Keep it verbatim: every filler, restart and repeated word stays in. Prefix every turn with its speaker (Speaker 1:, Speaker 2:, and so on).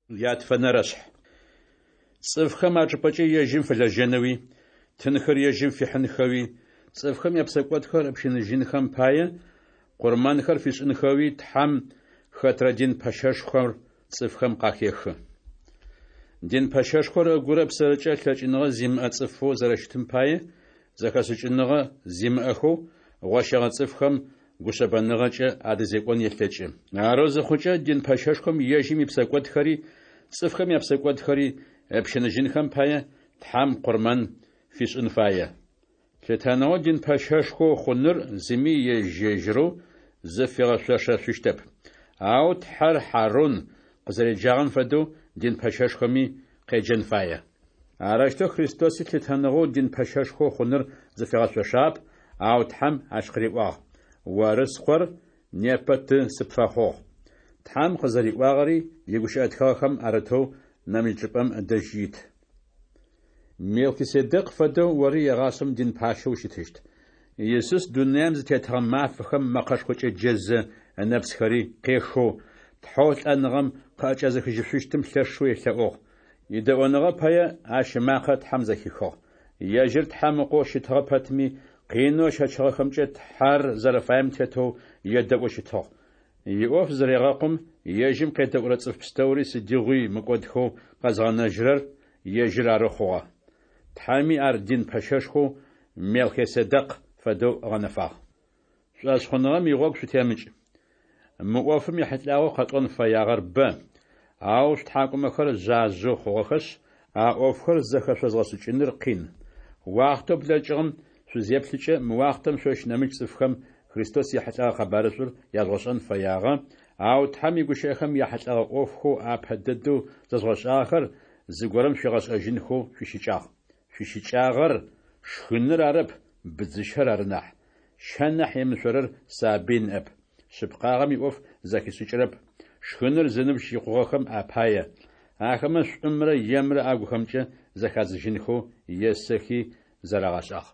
Speaker 1: Ятфэнэрэшъхь. Цӏыфхэм ачӏыпӏэкӏэ ежьым фэлэжьэнэуи, тынхэр ежьым фихьынхэуи, цӏыфхэм япсэкӏодхэр ыпщыныжьынхэм пае, къурмэнхэр фишӏынхэуи Тхьэм хэтрэ дин пэщэшхор цӏыфхэм къахехы. Дин пэщэшхор ыгурэ ыпсэрэкӏэ лъэкӏыныгъэ зимыӏэ цӏыфэу зэрэщытым пае, зэхэшӏыкӏыныгъэ зимыӏэхэу, гъощэгъэ цӏыфхэм гушъэбэныгъэкӏэ адэзекӏон елъэкӏы. Арэу зыхъукӏэ, дин пэщэшхом ежьым ипсэкӏодхэри цӏыфхэм япсэкӏодхэри ыпщыныжьынхэм пае, Тхьэм къурмэн фишӏын фае. Лъытэныгъэу дин пэщэшхо хъуныр зыми ежь-ежьырэу зыфигъэшъошэшъущтэп. Ау Тхьэр Хьарун къызэреджагъэм фэдэу дин пэщэшхоми къеджэн фае. Арэущтэу Христоси лъытэныгъэу дин пэщэшхо хъуныр зыфигъэшъошагъэп, ау Тхьэм ащ къыриӏуагъ: «Оры Скъор, непэ Ты сыпфэхъугъ». Тхьэм къызэриӏуагъэри игущыӏэ тхыгъэхэм арытэу нэмыкӏ чӏыпӏэм ыдэжь ит: «Мелхиседекъ фэдэу ори егъашӏэм дин пащэу ущытыщт». Исус дунаем зытетыгъэ мафэхэм мэкъэшхокӏэ джэзэ, ынэпсхэри къехэу, Тхьэу лӏэныгъэм къыӏэкӏэзыхыжьышъущтым лъэшэу елъэӏугъ. Идэӏоныгъэ пае ащ ымакъэ Тхьэм зэхихыгъ. Ежьыр Тхьэм Ыкъоу щытыгъэ пэтми, къинэу ыщэчыгъэхэмкӏэ Тхьэр зэрэфаем тетэу едэӏоу щытыгъ. Иӏоф зырегъэкъум, ежьым къедэӏурэ цӏыф пстэури сыдигъуи мыкӏодхэу къэзгъэнэжьырэр ежьыр ары хъугъэ. Тхьэми ар дин пэщэшхоу Мелхиседекъ фэдэу ыгъэнэфагъ. Шӏошъхъуныгъэм игъогу шъутемыкӏ. Мы ӏофым ехьылӏагъэу къэтӏон фэягъэр бэ, ау шъутхьакӏумэхэр жъажъэу хъугъэхэшъ, а ӏофхэр зэхэшъозгъэшӏыкӏыныр къин. Уахътэу блэкӏыгъэм шъузеплъыкӏэ, мы уахътэм шъощ нэмыкӏ цӏыфхэм Христос ехьылӏэгъэ къэбарышӏур яжъугъэшӏэн фэягъэ, ау Тхьэм игущыӏэхэм яхьылӏэгъэ ӏофхэу апэ дэдэу зэжъугъэшӏагъэхэр зыгорэм шъуигъэшӏэжьынхэу шъуищыкӏагъ. Шъуищыкӏагъэр шхыныр арэп, быдзыщэр ары нахь. Щэ нахь емышъорэр сабый ныӏэп, шъыпкъагъэм иӏоф зэхишӏыкӏырэп, шхыныр зыныбжь икъугъэхэм апае. Ахэмэ шӏумрэ емрэ агухэмкӏэ зэхадзыжьынхэу есэхи зэрагъэшӏагъ.